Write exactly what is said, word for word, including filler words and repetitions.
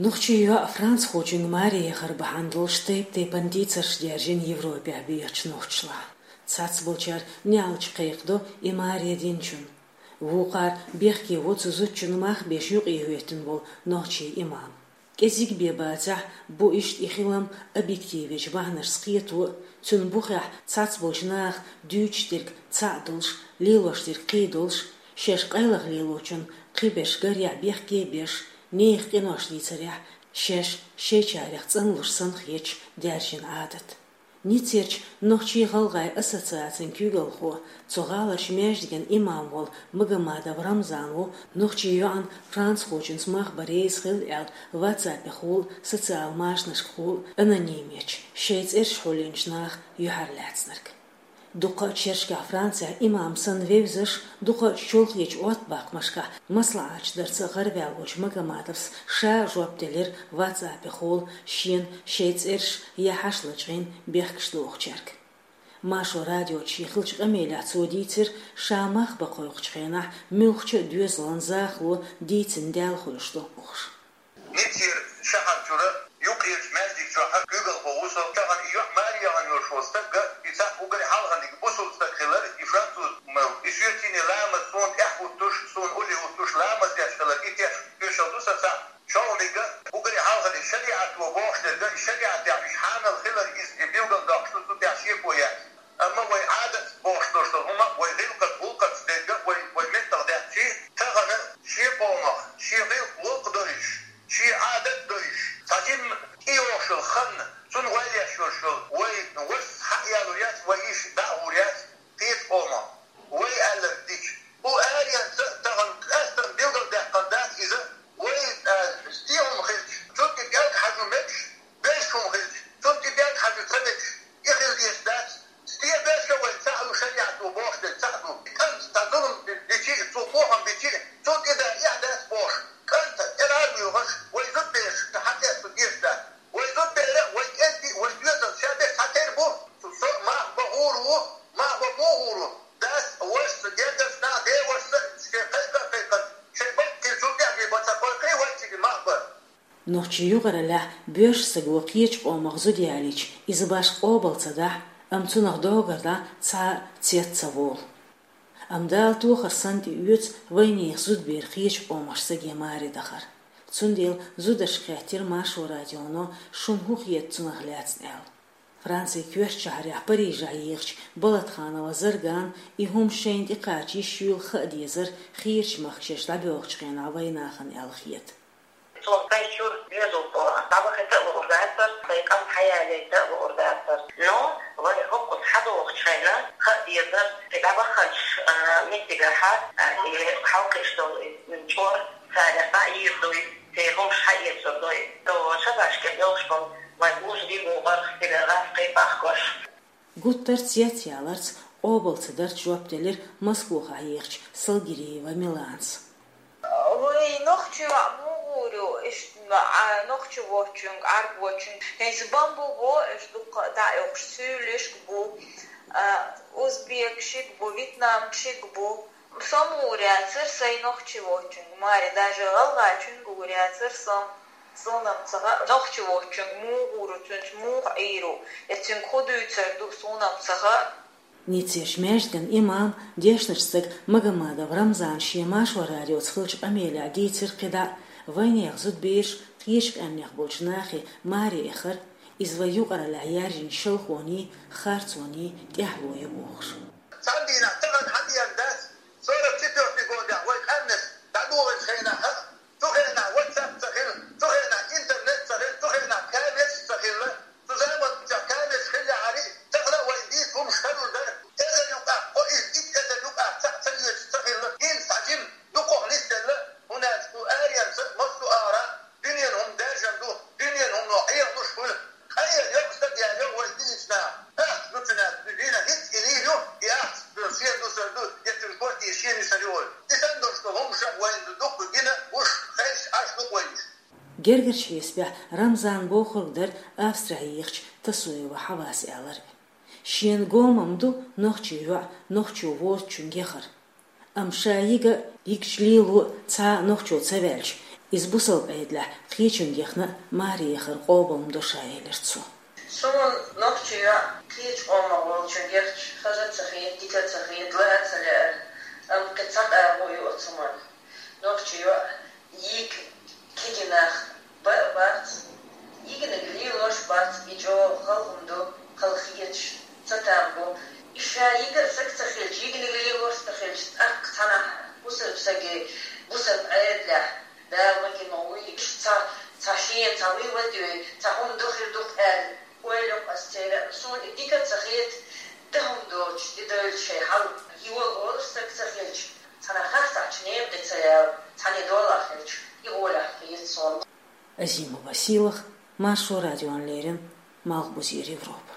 Нохчийн йоӀ францхочуьнга маре яхар бахьана долуш тайп-тайпана дийцарш даьржина Европехь бехачу нохчашлахь. Цхьацболчара неӀалт кхайкхадо и маре динчунна. Вукхара бехке во цу зудчунна мах беш юкъахӀоьттина волу нохчийн имам. КӀезиг бен бацахь, бу иштта и хилам объективечу бахьанашца кхето а, цуьнан бухехь цхьацболчу наха дуьйцуш дерг цхьаъ долуш, лелош дерг кхин долуш, шаьш къайлаха лелочунна кхин берш гарехь бехке а беш, нехан къинош дийцарехь, шаьш шайчарех цӀанлуш санна хеташ даьржина Ӏадат. Ниццерчу нохчийн-гӀалгӀайн ассоциацин куьйгалхо, цу гӀаларчу маьждиган имам волу Магомадов Рамзан ву нохчийн йоӀана францхочуьнца мах бан реза хилла аьлла, ватсапехула, социал машанашкахула анонимечу, шайн цӀераш хьулйинчу наха юьхьарлаьцнарг. Дуккха а шерашкахь Францехь имам санна вевзаш, дукха а чолхечу отбаккхамашкахь маслаӀаташ дарца гӀараваьллачу Магомадовс ша жоп делира ватсапехула шена шайн цӀераш я хьаша лачкъийна бехкаш дохучаьрга. Маршо радиочу шен хиллачу къамелехь цо дийцира, ша мах бан кхойкхучу хенахь муьлххачу а доьзалан захало дийцина даьлла хуьлуш ду бохуш. Ниццера шахьар чуьра юккъерчу маьждиг чохь куьйгалхо ву со. Тахана и йоӀ маре яхана йолуш волу стаг, и цхьаъ уггаре хьалхарниг бусулба стаг хилар, и француз ма, и соьцине ламаз суна тӀехь хӀуттуш, суна улле хӀуттуш ламаз деш хилар, и теш тоьшалла ду сан цхьаъ. ШолгӀаниг уггаре хьалхарниг шариӀато бохуш дерг, и шариӀатехь уьш хьанал хилар иза, и билгалдоккхуш ду цу тӀехь шеко яц. Амма вай Ӏадатца бохуш долуш долу хӀума, вай гӀиллакхаца, гӀуллакхаца дерг, вай, вай меттах даьхчий, тахана шен къомах, шен гӀиллакх локх дойуш, шен Ӏадат дойуш, цхьа жимма тӀейогӀуш йолу хан, цунна ойла еш йолуш йолу вай вас хьа а ялур яц, вай йиш дӀа а гӀур яц, кхечу къомах. Вай аьлларг дича, кху аренца а тахана къаьстина билгалдаьккхина дац иза, вай, а, стен хӀума хилча, цунна тӀе пӀелг хьажо мегаш, берш хӀума хилча, цунна тӀе пӀелг хьажо ца мегаш, и хила дезаш дац. Стен берш а вай цхьаъ ду, шариӀато бохуш дерг цхьаъ ду. И кӀант цхьа зулам дичи а, цо бохам бичи а, цунна тӀе да эхь дац бохуш, кӀанта тӀера а лоьхуш, вай зудбераш хьатесна дезаш дац. Вай зудбера а, вай кӀентий а, вай доьзал ша бен цхьатерра бу, со мах бан гӀур ву, мах бан муха гӀур ву. Дас а, вашас а, гергарчу нах а, ден вашас а шайн кхайкха а кхайкхина, шайн баккхийчул тӀаьхьа бен бан ца кхойкхий вай цига мах бан. Нохчийн юкъараллехь боьрша стага кхечу къомах зуда ялийча, иза башха къобал ца дахь, амма цунах догар дан цхьа а цец ца волу. Амма Дала тохар санна тӀеоьцу вайнехан зудбера кхечу къомах стаге маре дахар. Цундела зударшка хаьттира Маршо радионо, шуна хӀун хета цунах лаьцна аьлла. Францин коьртачу шахьарехь Парижехь ехачу Болатханова Заргана и хӀума шайна тӀекхача йиш юйла хаа дезара хийрачу махкашка дӀабоьлхучу хенахь вайнахана аьлла хета. Цо сайн чуьра доьзалхо дӀабахийта а луур дацара, сайн кӀант хьаялийта а луур дацара. Но вай хӀокхуза хьадогӀучу хенахь хаа дезара, и дӀабаханчу, а, меттигехь, а, и хьалкхуьуш долу и чкъор царах дӀа а йийр дуй, церан хӀумаш хьаэцур дуй. Цо шабашке белхаш болу вайн божарий бу гӀарх стига гӀаскхий бахкош. Гуттар а цецъяларца, къобал ца дарца жоп делира Москвахь ехачу Салгириева Миланас. Вай нохчий йоӀ муха гӀур ю, иштта, а, нохчи воцчуьнга, Ӏарбочуьнга. ХӀинца бамбу бо, уьш дуккха а дӀа а оьхуш, суьйлишка бу, а, узбекшиг бу, вьетнамшиг бу. Со ма гӀур яцара сайн нохчи воцчуьнга, маре, даже гӀалгӀачуьнга гӀур яцара со. Суна-м ца хаьа, нохчи воцчуьнга муха гӀур ву, цуьнца муха Ӏийр ву, я цуьнга хӀун дуьйцур ду, суна-м ца хаьа. Ниццерчу маьждиган имам, дешначу стага Магомадов Рамзана шен Маршо радиоца хиллачу къамелехь дийцира кхидӀа а, вайнехан зудбераш кхечу къаьмнех болчу нахе маре эхар, иза вайн юкъараллехь яьржина шалхоний, харцоний тӀаьхьало ю бохуш. Цхьана дийнахь тахана хьан дийна дац, сорок четвёртый годехь вай къаьмнаш дӀадохучу хенахь а, цу хенахь WhatsApp ца хилла, цу хенахь интернет ца хилла, цу хенахь камераш ца хилла, цу заманчохь камераш хиллехьара, тахана а вайна дийца хӀумаш хилур дара. Эзар юкъахь, кхо-итт эзар юкъахь цхьаъ ца оьцуш ца хилла, хӀинца цхьа жима дукхах нисделла, хӀунда аьлча кху аренца массо а агӀора дуьненан хӀума даьржина ду, дуьненан хӀумано Ӏехалуш хуьлу. Къайла йоккха стаг яьлла йо вай динчу наха. Ахча ду цуьнан, дина хӀинца и лийр ю, и ахча ду, шен ду, сан ду, я цуьнан квартира шен ю, сан ю олу. И санна долуш долу хӀуманаш а вайна ду дуккха гина, гуш, хезаш, Ӏаш ду-кх вай уьш. Гергарчу хьесапехь Рамзана бохург дара Австрехь ехачу Тасоева Хьавас аьлларг. Шена го ма-м ду нохчийн йоӀ нохчо воцучуьнга яхар. Амма ша йига а, йигчу лело а цхьа а нохчо ца ваьлча, Иза бусалба Ӏедалехь кхечуьнга яхна а маре яхар къобалдеш ду ша, элира цо. Суна нохчи йоӀ кхечу къомах волчуьнга яхча хаза а ца хета, дика а ца хета, ла а ца лаьара, амма кхин цхьа къагӀо ю оцу хӀуманна. Нохчи йоӀ йига кегий нах бан а бац, йигниг лелош а бац, и чӀогӀа хала хӀума ду, хала хеташ ца там бу. И ша йигар саг ца хилча, йигниг лелош ца хилча, тӀаккха цхьанхьа бусалба саге, бусалба Ӏедалехь, Дала магийна вуй, иштта цхьа, цхьа шена, цхьа вуй ватуьй, цхьа хӀума ду хир ду-кх аьлла, ойла йо-кх ас церан. Суна и дика а ца хета, дан хӀума доцуш, тӀедевлла шайн хьал йола олуш саг ца хилча, цхьана хастахьчу нехан тӀе ца яла, цхьана долахь хилча, и гӀолехь хета суна. Азимова Сийлаха, Маршо радиона леррина, Малхбузера Европа.